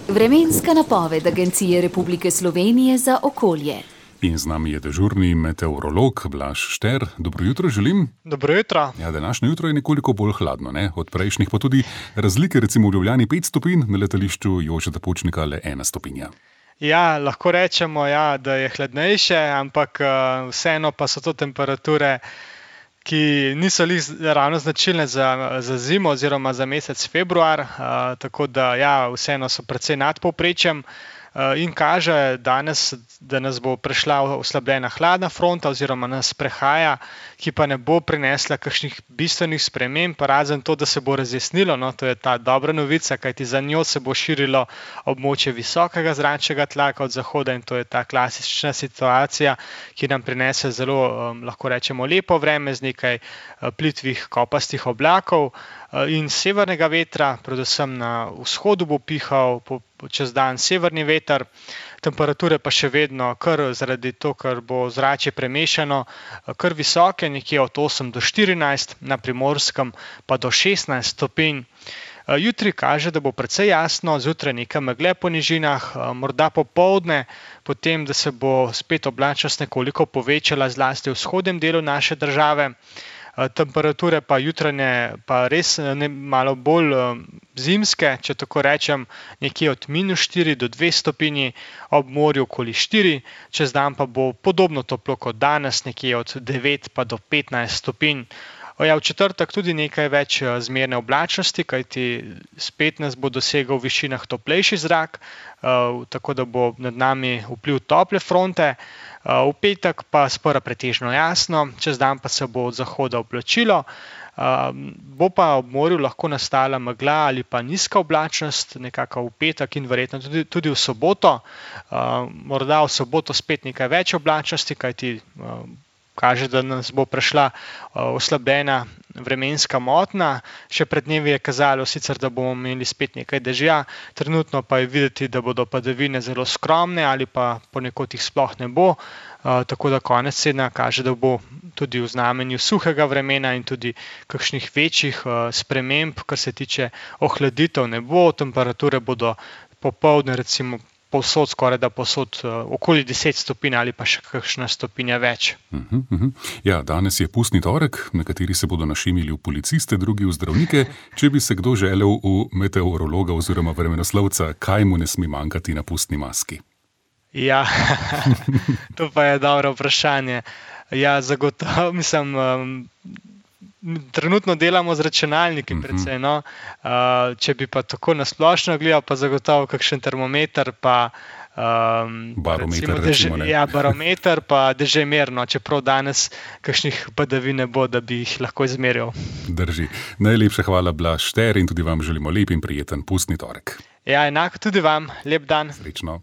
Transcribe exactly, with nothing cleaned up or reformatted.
Vremenska napoved Agencije Republike Slovenije za okolje. In z nami je dežurni meteorolog Blaž Šter. Dobro jutro želim. Dobro jutro. Ja, današnje jutro je nekoliko bolj hladno, ne? Od prejšnjih pa tudi razlike, recimo v Ljubljani pet stopinj, na letališču Jožeta Pučnika le ena stopinja. Ja, lahko rečemo, ja, da je hladnejše, ampak uh, vseeno pa so to temperature, ki niso lih ravno značilne za, za zimo oziroma za mesec februar, uh, tako da ja, vseeno so precej nad povprečjem. In kaže danes, da nas bo prešla oslabljena hladna fronta oziroma nas prehaja, ki pa ne bo prinesla kakšnih bistvenih sprememb, razen to, da se bo razjasnilo, no, to je ta dobra novica, kajti za njo se bo širilo območje visokega zračnega tlaka od zahoda in to je ta klasična situacija, ki nam prinese zelo, um, lahko rečemo, lepo vreme z nekaj uh, plitvih kopastih oblakov uh, in severnega vetra, predvsem na vzhodu bo pihal po čez dan severni veter, temperature pa še vedno kar zaradi to, ker bo zračje premešano, kar visoke, nekje od osem do štirinajst, na Primorskem pa do šestnajst stopinj. Jutri kaže, da bo precej jasno, zjutraj nekaj megle po nižinah, morda popoldne, potem, da se bo spet oblačnost nekoliko povečala zlasti v vzhodnem delu naše države. Temperature pa jutranje pa res ne, malo bolj zimske, če tako rečem, nekje od minus štiri do dve stopinji, ob morju okoli štiri, čez dan pa bo podobno toplo kot danes, nekje od devet pa do petnajst stopinj. Ja, v četrtek tudi nekaj več zmerne oblačnosti, kajti spet nas bo dosegal v višinah toplejši zrak, tako da bo nad nami vpliv tople fronte. V petek pa spora pretežno jasno, čez dan pa se bo od zahoda oblačilo, bo pa ob morju lahko nastala megla ali pa nizka oblačnost, nekako v petek in verjetno tudi, tudi v soboto. Morda v soboto spet nekaj več oblačnosti, kajti kaže, da nas bo prešla oslabljena vremenska motnja. Še pred dnevi je kazalo sicer, da bomo imeli spet nekaj dežja, trenutno pa je videti, da bodo padavine zelo skromne ali pa ponekod jih sploh ne bo, tako da konec tedna kaže, da bo tudi v znamenju suhega vremena in tudi kakšnih večjih sprememb, kar se tiče ohladitev ne bo, temperature bodo popoldne recimo povsod, skoraj da povsod okoli deset stopinj ali pa še kakšna stopinja več. Uh-huh, uh-huh. Ja, danes je pustni torek, nekateri se bodo našemili v policiste, drugi v zdravnike. Če bi se kdo želel v meteorologa oziroma vremenoslovca, kaj mu ne sme manjkati na pustni maski? Ja, to pa je dobro vprašanje. Ja, zagotovo, mislim, um, trenutno delamo z računalniki precej, no. Uh, če bi pa tako nasplošno gledal, pa zagotovo kakšen termometer, pa um, barometer, recimo, deže, recimo, ja, barometer, pa dežemer, no, čeprav danes kakšnih padavin ne bo, da bi jih lahko izmeril. Drži. Najlepša hvala, Blaž Šter, in tudi vam želimo lep in prijeten pustni torek. Ja, enako tudi vam. Lep dan. Srečno.